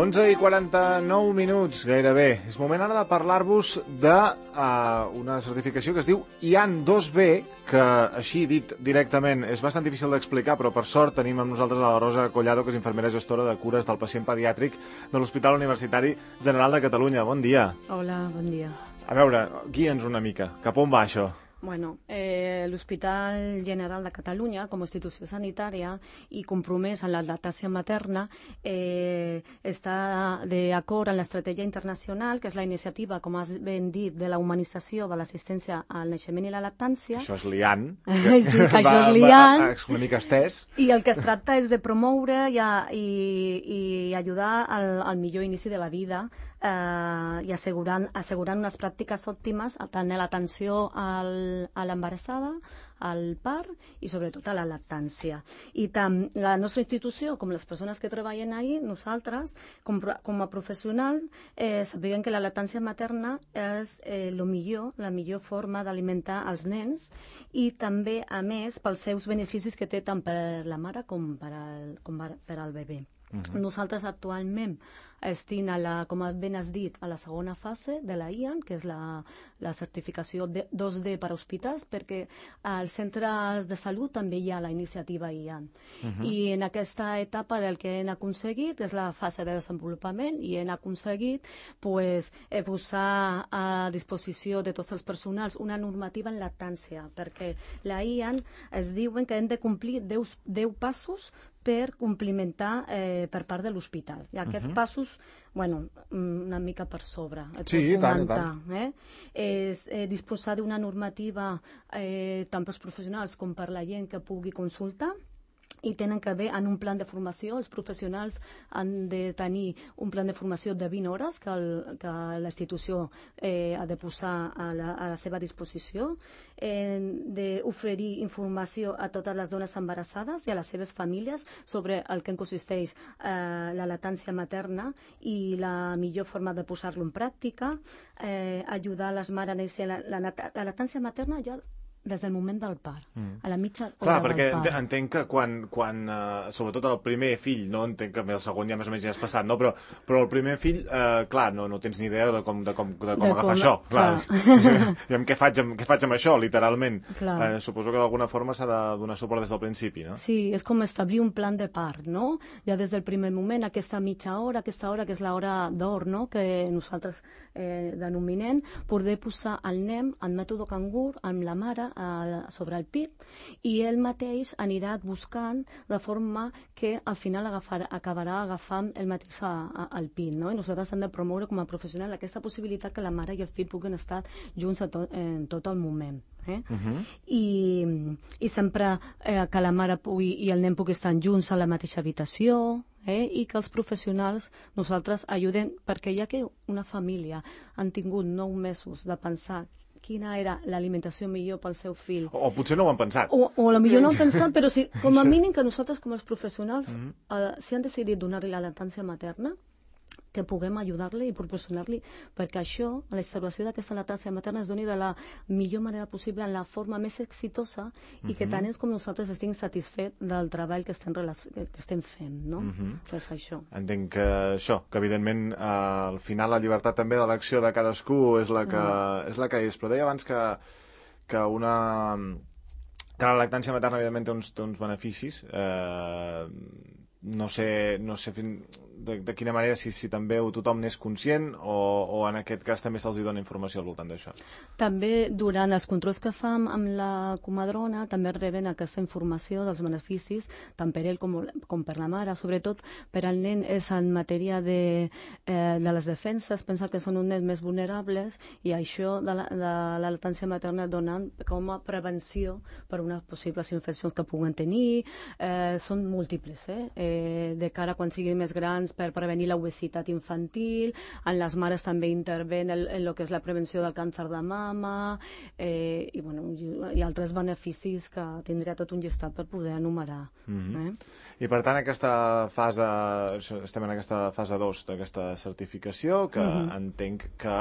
11:49, gairebé. És moment ara de parlar-vos d'una certificació que es diu IAN2B, que, així dit directament, és bastant difícil d'explicar, però per sort tenim amb nosaltres a la Rosa Collado, que és infermera gestora de cures del pacient pediàtric de l'Hospital Universitari General de Catalunya. Bon dia. Hola, bon dia. A veure, guia'ns una mica. Cap on va això? Bueno, l'Hospital General de Catalunya, com a institució sanitària i compromès en la lactància materna, està d'acord amb l'estratègia internacional, que és la iniciativa, com has ben dit, de la humanització de l'assistència al naixement i la lactància. Això és l'IAN. Sí, això és l'IAN. Una mica estès. I el que es tracta és de promoure i ajudar al millor inici de la vida i assegurant unes pràctiques òptimes tant a l'atenció a l'embarassada, al part i sobretot a la lactància. I tant la nostra institució com les persones que treballen ahí, nosaltres, com a professional, sabem que la lactància materna és la millor forma d'alimentar els nens i també, a més, pels seus beneficis que té tant per la mare com per al bebè. Nosaltres actualment estem, com ben has dit, a la segona fase de la IAN, que és la certificació 2D per a hospitals, perquè als centres de salut també hi ha la iniciativa IAN. I en aquesta etapa del que hem aconseguit és la fase de desenvolupament i hem aconseguit posar a disposició de tots els personals una normativa en lactància, perquè la IAN es diuen que hem de complir 10 passos per complimentar per part de l'hospital. I aquests passos, bueno, una mica per sobre. Sí, tant. És disposar d'una normativa tant pels professionals com per la gent que pugui consultar, i tenen que haver en un plan de formació. Els professionals han de tenir un plan de formació de 20 hores que la institució ha de posar a la seva disposició, d'oferir informació a totes les dones embarassades i a les seves famílies sobre el que consisteix la lactància materna i la millor forma de posar-lo en pràctica, ajudar les mares a néixer. La lactància materna ja des del moment del part, a la mitja hora del part. Clar, perquè entenc que quan sobretot el primer fill, no entenc que el segon ja més o menys ja has passat, no? Però el primer fill, clar, no tens ni idea de com agafar això. Clar. I què faig amb això, literalment? Suposo que d'alguna forma s'ha de donar suport des del principi, no? Sí, és com establir un plan de part, no? Ja des del primer moment, aquesta mitja hora, aquesta hora que és l'hora d'or, no?, que nosaltres denominem, poder posar el nen en mètode cangur amb la mare sobre el pit, i ell mateix anirà buscant de forma que al final acabarà agafant el mateix al pit, no? I nosaltres hem de promoure com a professional aquesta possibilitat que la mare i el fill puguin estar junts en tot el moment. I sempre que la mare i el nen puguin estar junts a la mateixa habitació, i que els professionals nosaltres ajuden, perquè ja que una família han tingut 9 mesos de pensar quina era l'alimentació millor pel seu fill. O potser no ho han pensat. O potser no ho han pensat, però sí, com a mínim que nosaltres com els professionals, si han decidit donar-li la lactància materna, que puguem ajudar-li i proporcionar-li, perquè això, la instauració d'aquesta lactància materna es doni de la millor manera possible, en la forma més exitosa, i que tant és com nosaltres estem satisfets del treball que estem fent, no? És això. Entenc que això, que evidentment al final la llibertat també d'elecció de cadascú és la que és, però deia abans que la lactància materna evidentment té uns beneficis, no sé de quina manera, si també tothom n'és conscient o en aquest cas també se'ls dona informació al voltant d'això. També durant els controls que fam amb la comadrona també reben aquesta informació dels beneficis tant per ell com per la mare, sobretot per al nen és en matèria de les defenses, pensa que són uns nens més vulnerables, i això de la lactància materna donen com a prevenció per unes possibles infeccions que puguen tenir, són múltiples, de cara quan siguin més grans, per prevenir l'obesitat infantil. En les mares també interven en el que és la prevenció del càncer de mama, i altres beneficis que tindria tot un llistat per poder enumerar. I per tant estem en aquesta fase 2 d'aquesta certificació, que entenc que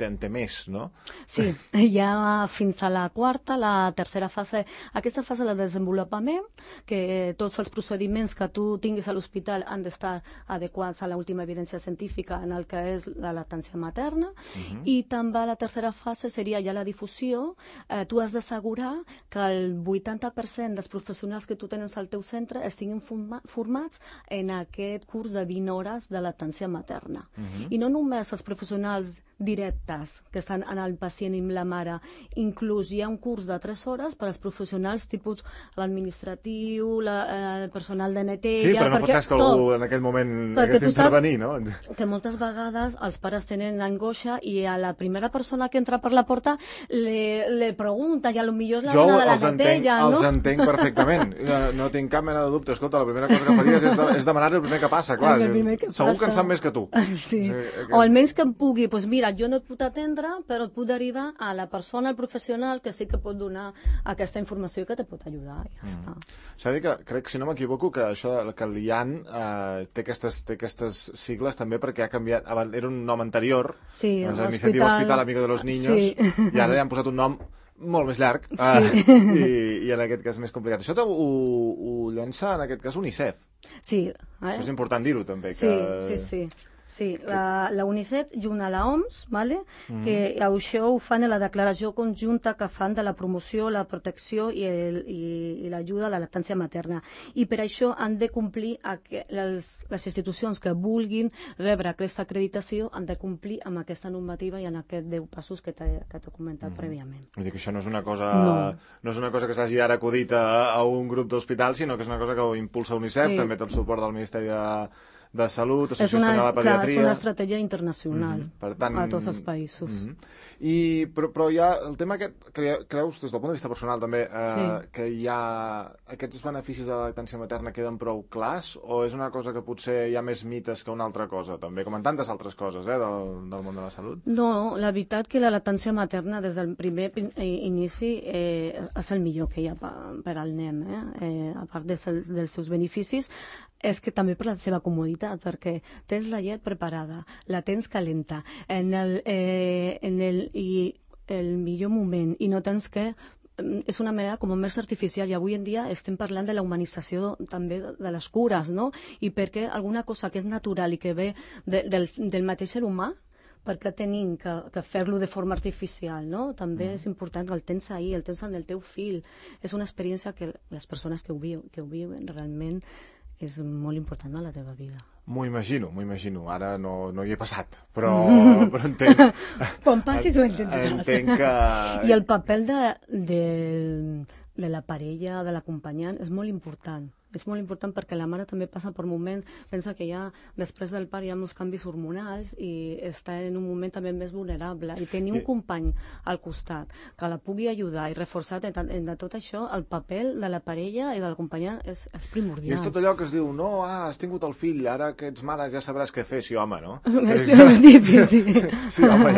en té més, no? Sí, ja fins a la quarta, la tercera fase. Aquesta fase de desenvolupament, que tots els procediments que tu tu tinguis a l'hospital han d'estar adequats a l'última evidència científica en el que és la lactància materna, i també la tercera fase seria ja la difusió. Tu has d'assegurar que el 80% dels professionals que tu tens al teu centre estiguin formats en aquest curs de 20 hores de lactància materna. I no només els professionals directes que estan en el pacient i amb la mare, inclús hi ha un curs de 3 hores per als professionals tipus l'administratiu, el personal de neteja... Sí, però no fos cas que algú en aquell moment hagués d'intervenir, no? Que moltes vegades els pares tenen angoixa i a la primera persona que entra per la porta le pregunta i a lo millor és la dona de la neteja, no? Jo els entenc perfectament, no tinc cap mena de dubte. Escolta, la primera cosa que faries és demanar el primer que passa, clar. Segur que en sap més que tu. Sí, o almenys que em pugui, doncs mira, jo no et puc atendre, però et puc derivar a la persona, al professional, que sí que pot donar aquesta informació i que te pot ajudar, i ja està. S'ha de dir que, crec, si no m'equivoco, que això que el IAN té aquestes sigles també perquè ha canviat. Era un nom anterior, Iniciativa Hospital Amigo de los Niños, i ara li han posat un nom molt més llarg i en aquest cas més complicat. Això ho llença, en aquest cas, UNICEF. Sí. Això és important dir-ho, també. Sí, la UNICEF junt a l'OMS, que això ho fan en la declaració conjunta que fan de la promoció, la protecció i l'ajuda a la lactància materna. I per això han de complir, les institucions que vulguin rebre aquesta acreditació han de complir amb aquesta normativa i en aquests 10 passos que t'he comentat prèviament. Vull dir que això no és una cosa que s'hagi ara acudit a un grup d'hospitals, sinó que és una cosa que ho impulsa UNICEF, també té el suport del Ministeri de Salut, Associació Espanyola de Pediatria... És una estratègia internacional a tots els països. Però hi ha el tema aquest, creus, des del punt de vista personal també, que hi ha aquests beneficis de la lactància materna queden prou clars, o és una cosa que potser hi ha més mites que una altra cosa, també, com en tantes altres coses del món de la salut? No, la veritat que la lactància materna des del primer inici és el millor que hi ha per al nen, a part dels seus beneficis, és que també per la seva comoditat, perquè tens la llet preparada, la tens calenta, en el millor moment, i no tens que... És una manera com més artificial, i avui en dia estem parlant de la humanització també de les cures, no? I perquè alguna cosa que és natural i que ve del mateix ser humà, perquè tenim que fer-lo de forma artificial, no? També és important que el tens ahir, el tens en el teu fill. És una experiència que les persones que ho viuen realment és molt important a la teva vida. M'ho imagino. Ara no hi he passat, però entenc... Quan passis ho entenderàs. Entenc que... I el paper de la parella, de l'acompanyant, és molt important. És molt important perquè la mare també passa per moments, pensa que ja després del part hi ha molts canvis hormonals i està en un moment també més vulnerable. I tenir un company al costat que la pugui ajudar i reforçar en tot això, el paper de la parella i de l'acompanyant és primordial. I és tot allò que es diu, no, has tingut el fill, ara que ets mare ja sabràs què fer. Sí, home, no? És difícil. Sí, home,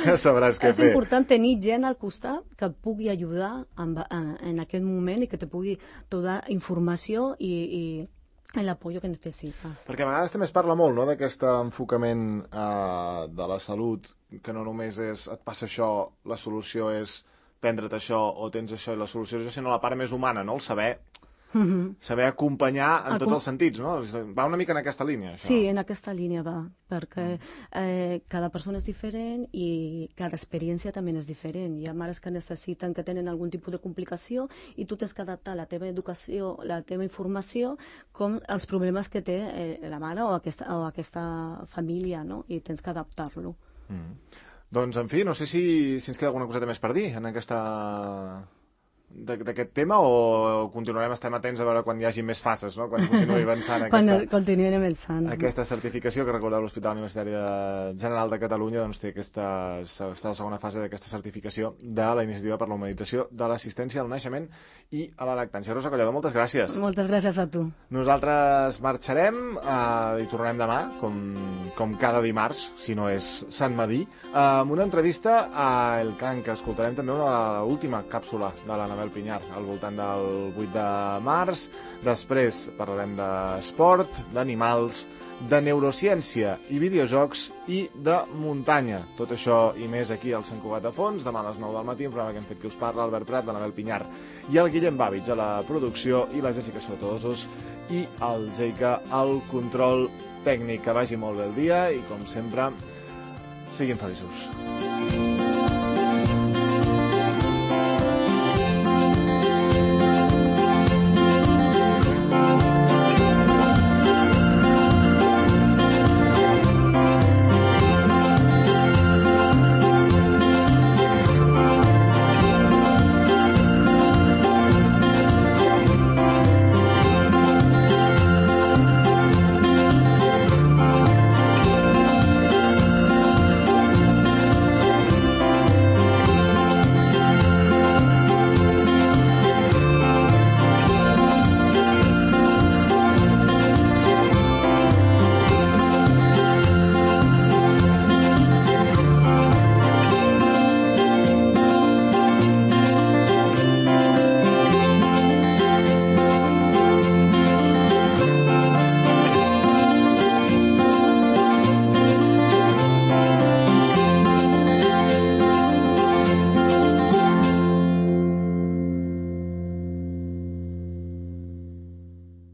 ja sabràs què fer. És important tenir gent al costat que et pugui ajudar en aquest moment i que te pugui donar informació i l'apoyo que necessites. Perquè a vegades també es parla molt, no?, d'aquest enfocament de la salut, que no només és et passa això, la solució és prendre't això, o tens això i la solució és això, sinó la part més humana, no?, el saber acompanyar en tots els sentits, no? Va una mica en aquesta línia, això. Sí, en aquesta línia va, perquè cada persona és diferent i cada experiència també és diferent. Hi ha mares que necessiten, que tenen algun tipus de complicació i tu tens que adaptar la teva educació, la teva informació, com els problemes que té la mare o aquesta família, no? I tens que adaptar-lo. Doncs, en fi, no sé si ens queda alguna coseta més per dir en d'aquest tema, o continuarem estant atents a veure quan hi hagi més fases, no? Quan continuï avançant aquesta certificació, que recordeu l'Hospital Universitari General de Catalunya doncs té està a la segona fase d'aquesta certificació de la Iniciativa per la Humanització de l'Assistència al Naixement i a la Lactància. Rosa Collado, moltes gràcies. Moltes gràcies a tu. Nosaltres marxarem i tornarem demà, com cada dimarts, si no és Sant Madí, amb una entrevista a El Can, que escoltarem també l'última càpsula de l'Anabel Pinyar, al voltant del 8 de març. Després parlarem d'esport, d'animals, de neurociència i videojocs i de muntanya. Tot això i més aquí al Sant Cugat a Fons, demà a les 9 del matí, un programa que hem fet que us parla, Albert Prat, l'Anabel Pinyar i el Guillem Bàvits a la producció i la Jessica Sotosos i el Jeica al control tècnic. Que vagi molt bé el dia i, com sempre, siguin feliços.